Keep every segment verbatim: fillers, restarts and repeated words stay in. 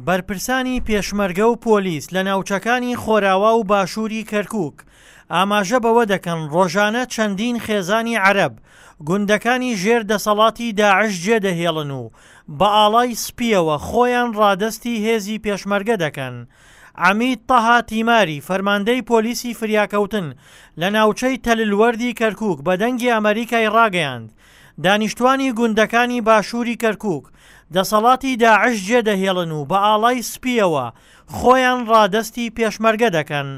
بەرپرسانی پێشمەرگە و پۆلیس لە ناوچەکانی خۆراوا و باشووری کەرکووک ئاماژە بەوە دەکەن ڕۆژانە چەندین خێزانی عەرەب گوندەکانی ژێر دەسەڵاتی داعش جێدەهێڵن و بە ئاڵای سپیەوە خۆیان ڕادەستی هێزی پێشمەرگە دەکەن. عەمید تەها تیماری فەرماندەی پۆلیسی فریاکەوتن لە ناوچەی تەللوەردی کەرکووک بە دەنگی ئەمەریکای ڕاگەیاند دانیشتوانی گوندەکانی باشووری کەرکووک دەسەڵاتی داعش جێدەهێڵن و بە ئاڵای سپیەوە خۆیان ڕادەستی پێشمەرگە دەکەن.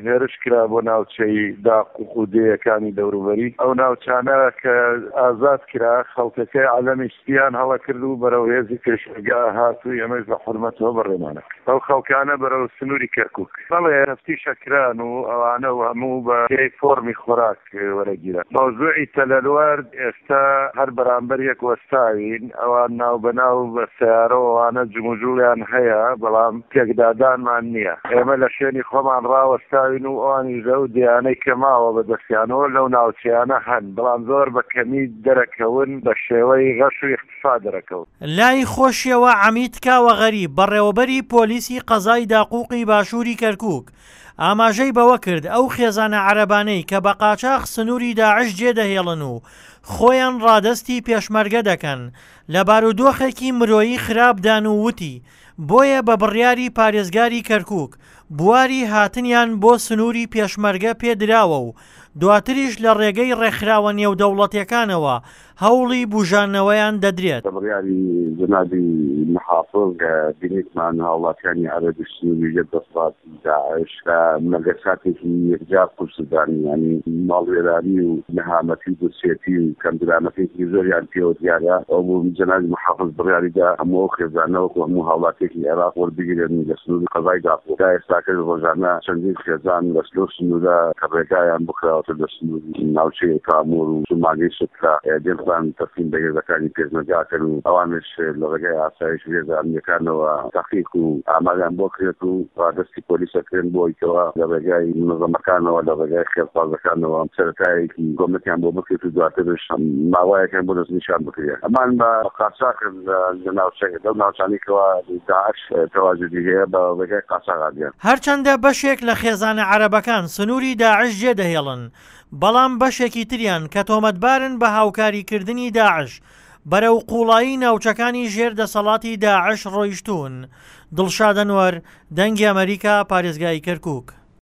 هێرش کرا بۆ ناوچەی داقوق و دێیەکانی دەوروبەری ئەو ناوچانە کە ئازاد کرا، خەڵکەکەی عەلەمی سپیان هەڵە کرد و بەرەو هێزی پێشمەرگە هات و ئێمەش بە حورمەتەوە بەڕێمانە کرد ئەو خەڵکانە بەرەو سنووری کەرکووک. بەڵێ تەفتیشە کران و ئەوانە و هەموو بە پێی فۆرمی خۆراک وەرەگیران. مەوزوعی تەلەلوەرد ئێستا هەر بەرامبەر یەک وەستاوین، ئەوان ناوبەناو بە سەیارە و ئەوانە جموجوڵیان هەیە، بەڵام پێکدادانمان نییە. ئێمە لە شوێنی خۆمان ڕاوەستاوین و ئەوانیش لەو دێیانەی کە ماوە بە دەستیانەوە لەو ناوچەیانە هەن، بەڵام زۆر بە کەمی دەرەکەون، بە شێوەی غەش و ئیختفا دەرەکەون. لای خۆشیەوە عەمید کاوە غەریب بەڕێوەبەری پۆلیسی قەزای داقوقی باشووری کەرکووک ئاماژەی بەوە کرد ئەو خێزانە عەرەبانەی کە بە قاچاخ سنووری داعش جێدەهێڵن و خۆیان ڕادەستی پێشمەرگە دەکەن لە بارودۆخێکی مرۆیی خراپدان و وتی بۆیە بە بڕیاری پارێزگاری کەرکووک بواری هاتنیان بۆ سنووری پێشمەرگە پێدراوە و دواتریش لە ڕێگەی ڕێکخراوە نێودەوڵەتیەکانەوە هەوڵی بوژانەوەیان دەدرێت. بە بڕیاری جەنابی محافظ کە بینیتمان هاوڵاتیانی عەرەبی سنووری ژێر دەسەڵاتی داعش لە مەگەساتێکی یەکجار قورسدان، ینی ماڵوێرانی و نەهامەتی و برسێتی و کەمدرامەتێکی زۆریان پێوە دیارە. ئەو بوو جەنابی محافظ بڕیاریدا هەموو ئەو خێزانە وەکو هەموو هاوڵاتیەکی عێراق وەربگیرێن لە سنووری قەزای داقوق. تا ئێستاکەش ڕۆژانە چەندین خێزان لە لەو سنوورە کە ڕێگایان بخراوەتە لە سنووری ناوچەی تامور و سوماگەی سترا دێن خۆیان تەسلیم بە هێزەکانی پێشمەرگە ئەکەن و ئەوانش لە ڕێگای ئاسایش و هێزە ئەمنیەکانەوە تەحقیق و ئاماریان بۆ کرێت و ڕادەستی پۆلیس ئەکرێن بۆ ئەوەی لە ڕێگای منەزەمەکانەوە لە ڕێگای خێرخوازەکانەوە سەرەتایەکی کۆمەکیان بۆ بکرێت و دواترش ماوایەکیان بۆ دەستنیشان بکرێت. ئەمان بە قاچاخ لە ناوچەکە لەو ناوچانەی کەوا داعش تەواجودی هەیە بە ڕێگای قاچاخ ئادیان. هەرچەندە بەشێک لە خێزانە عەرەبەکان سنووری داعش جێدەهێڵن، بەڵام بەشێکی تریان کە تۆمەتبارن بە هاوکاریکردنی داعش بەرەو قوڵایی ناوچەکانی ژێر دەسەڵاتی داعش ڕۆیشتوون. دڵشاد ئەنوەر، دەنگی ئەمەریکا، پارێزگای کەرکووک.